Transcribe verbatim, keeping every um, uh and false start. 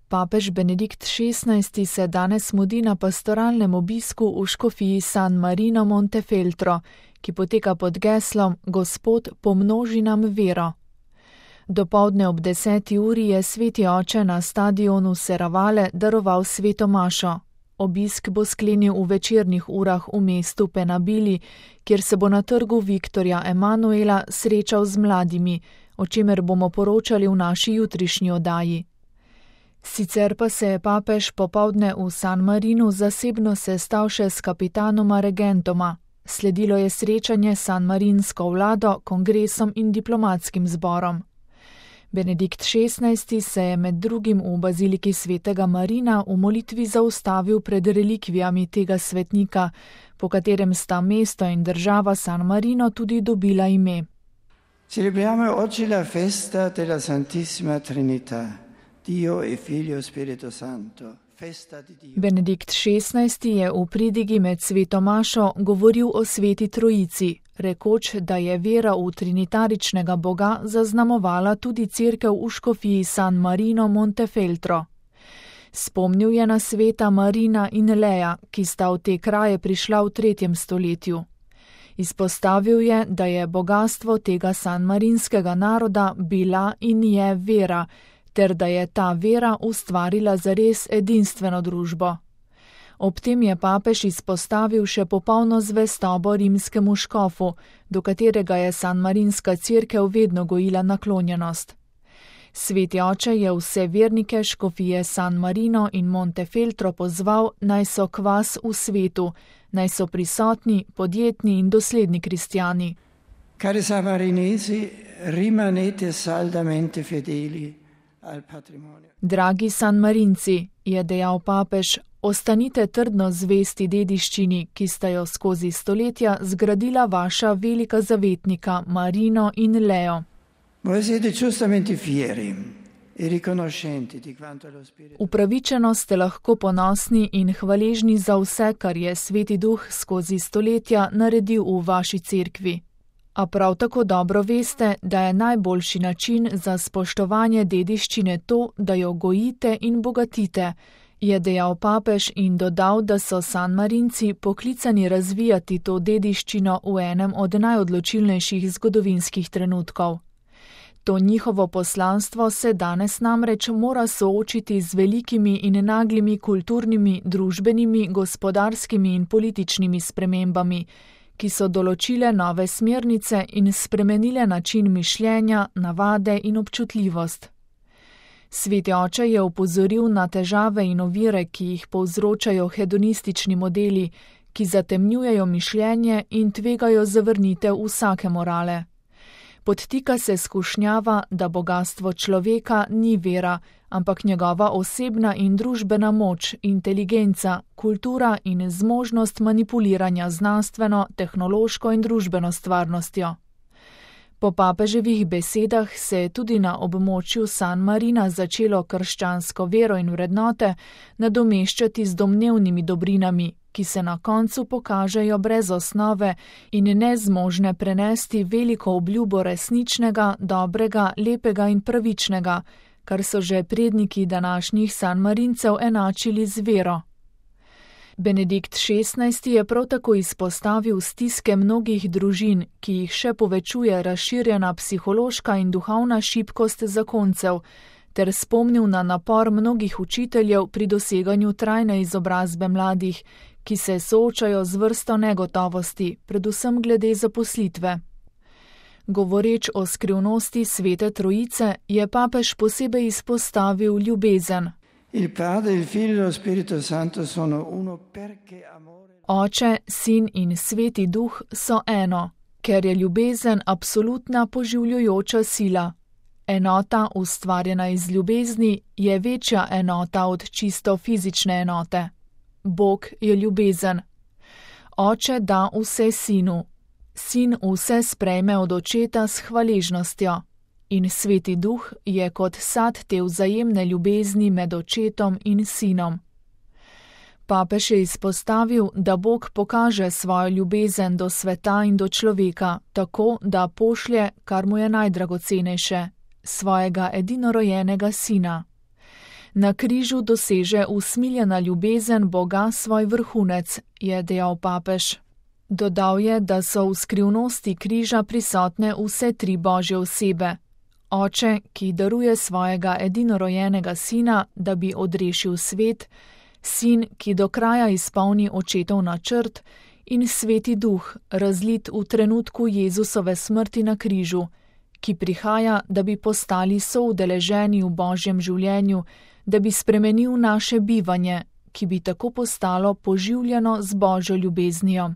Papež Benedikt šestnajsti se danes mudi na pastoralnem obisku v škofiji San Marino Montefeltro, ki poteka pod geslom Gospod pomnoži nam vero. Dopoldne ob deseti uri je sveti oče na stadionu Serravalle daroval sveto mašo. Obisk bo sklenil v večernih urah v mestu Penabili, kjer se bo na trgu Viktorja Emanuela srečal z mladimi, o čemer bomo poročali v naši jutrišnji oddaji. Sicer pa se je papež popoldne v San Marinu zasebno sestal še s kapitanoma regentoma. Sledilo je srečanje s sanmarinsko vlado, kongresom in diplomatskim zborom. Benedikt šestnajsti se je med drugim v baziliki svetega Marina v molitvi zaustavil pred relikvijami tega svetnika, po katerem sta mesto in država San Marino tudi dobila ime. Celebriamo oggi la festa della Santissima Trinità. Dio e Figlio Spirito Santo, festa di Dio. Benedikt šestnajsti je v pridigi med sveto mašo govoril o sveti trojici, rekoč, da je vera v trinitaričnega Boga zaznamovala tudi cerkev v škofiji San Marino Montefeltro. Spomnil je na sveta Marina in Leja, ki sta v te kraje prišla v tretjem stoletju. Izpostavil je, da je bogastvo tega sanmarinskega naroda bila in je vera, ter da je ta vera ustvarila zares edinstveno družbo. Ob tem je papež izpostavil še popolno zvestobo rimskemu škofu, do katerega je sanmarinska cerkev vedno gojila naklonjenost. Sveti oče je vse vernike škofije San Marino in Montefeltro pozval, naj so kvas v svetu, naj so prisotni, podjetni in dosledni kristjani. Cari sanmarinesi, rimanete saldamente fedeli. Dragi sanmarinci, je dejal papež, ostanite trdno zvesti dediščini, ki sta jo skozi stoletja zgradila vaša velika zavetnika Marino in Leo. Upravičeno ste lahko ponosni in hvaležni za vse, kar je Sveti Duh skozi stoletja naredil v vaši cerkvi. A prav tako dobro veste, da je najboljši način za spoštovanje dediščine to, da jo gojite in bogatite, je dejal papež in dodal, da so sanmarinci poklicani razvijati to dediščino v enem od najodločilnejših zgodovinskih trenutkov. To njihovo poslanstvo se danes namreč mora soočiti z velikimi in naglimi kulturnimi, družbenimi, gospodarskimi in političnimi spremembami, ki so določile nove smernice in spremenile način mišljenja, navade in občutljivost. Sveti oče je opozoril na težave in ovire, ki jih povzročajo hedonistični modeli, ki zatemnjujejo mišljenje in tvegajo zavrnitev vsake morale. Podtika se skušnjava, da bogastvo človeka ni vera, ampak njegova osebna in družbena moč, inteligenca, kultura in zmožnost manipuliranja znanstveno, tehnološko in družbeno stvarnostjo. Po papeževih besedah se je tudi na območju San Marina začelo krščansko vero in vrednote nadomeščati z domnevnimi dobrinami, ki se na koncu pokažejo brez osnove in nezmožne prenesti veliko obljubo resničnega, dobrega, lepega in pravičnega, kar so že predniki današnjih sanmarincev enačili z vero. Benedikt šestnajsti je prav tako izpostavil stiske mnogih družin, ki jih še povečuje razširjena psihološka in duhovna šibkost zakoncev, ter spomnil na napor mnogih učiteljev pri doseganju trajne izobrazbe mladih, ki se soočajo z vrsto negotovosti, predvsem glede zaposlitve. Govoreč o skrivnosti Svete Trojice, je papež posebej izpostavil ljubezen. Il Padre, il Figlio e lo Spirito Santo sono uno perché amore. Oče, Sin in Sveti Duh so eno, ker je ljubezen absolutna poživljujoča sila. Enota, ustvarjena iz ljubezni, je večja enota od čisto fizične enote. Bog je ljubezen. Oče da vse Sinu. Sin vse sprejme od Očeta s hvaležnostjo. In Sveti Duh je kot sad te vzajemne ljubezni med Očetom in Sinom. Papež je izpostavil, da Bog pokaže svojo ljubezen do sveta in do človeka, tako da pošlje, kar mu je najdragocenejše, svojega edinorojenega Sina. Na križu doseže usmiljena ljubezen Boga svoj vrhunec, je dejal papež. Dodal je, da so v skrivnosti križa prisotne vse tri Božje osebe. Oče, ki daruje svojega edinorojenega sina, da bi odrešil svet, sin, ki do kraja izpolni očetov načrt, in Sveti Duh, razlit v trenutku Jezusove smrti na križu, ki prihaja, da bi postali soudeleženi v Božjem življenju, da bi spremenil naše bivanje, ki bi tako postalo poživljeno z Božjo ljubeznijo.